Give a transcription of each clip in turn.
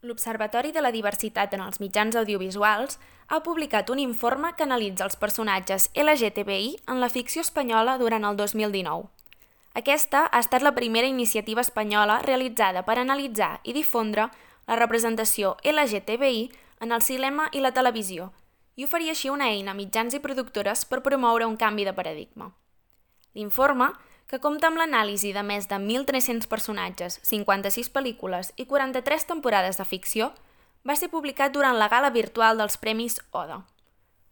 L'Observatori de la Diversitat en els Mitjans Audiovisuals ha publicat un informe que analitza els personatges LGTBI en la ficció espanyola durant el 2019. Aquesta ha estat la primera iniciativa espanyola realitzada per analitzar i difondre la representació LGTBI en el cinema i la televisió i oferir així una eina a mitjans i productores per promoure un canvi de paradigma. L'informe, que compta amb l'anàlisi de més de 1.300 personatges, 56 pel·lícules i 43 temporades de ficció, va ser publicat durant la gala virtual dels Premis ODA.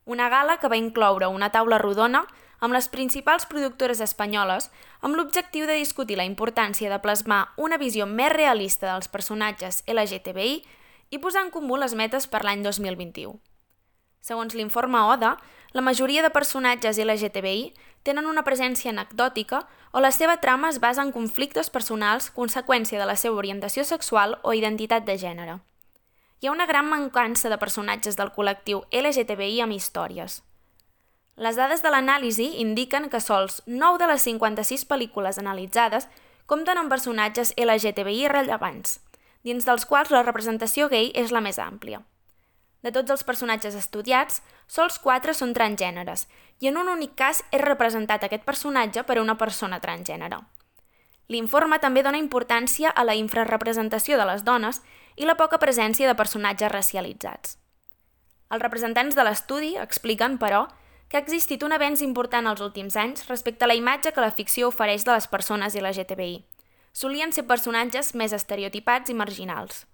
Una gala que va incloure una taula rodona amb les principals productores espanyoles amb l'objectiu de discutir la importància de plasmar una visió més realista dels personatges LGTBI i posar en comú les metes per l'any 2021. Segons l'informe ODA, la majoria de personatges LGTBI tenen una presència anecdòtica o la seva trama es basa en conflictes personals conseqüència de la seva orientació sexual o identitat de gènere. Hi ha una gran mancança de personatges del col·lectiu LGTBI amb històries. Les dades de l'anàlisi indiquen que sols 9 de les 56 pel·lícules analitzades compten amb personatges LGTBI rellevants, dins dels quals la representació gai és la més àmplia. De tots els personatges estudiats, sols 4 són transgèneres i en un únic cas és representat aquest personatge per una persona transgènere. L'informe també dona importància a la infrarrepresentació de les dones i la poca presència de personatges racialitzats. Els representants de l'estudi expliquen, però, que ha existit un avenç important els últims anys respecte a la imatge que la ficció ofereix de les persones LGTBI. Solien ser personatges més estereotipats i marginals.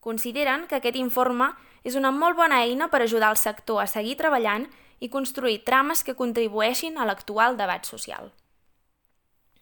Consideren que aquest informe és una molt bona eina per ajudar el sector a seguir treballant i construir trames que contribueixin a l'actual debat social.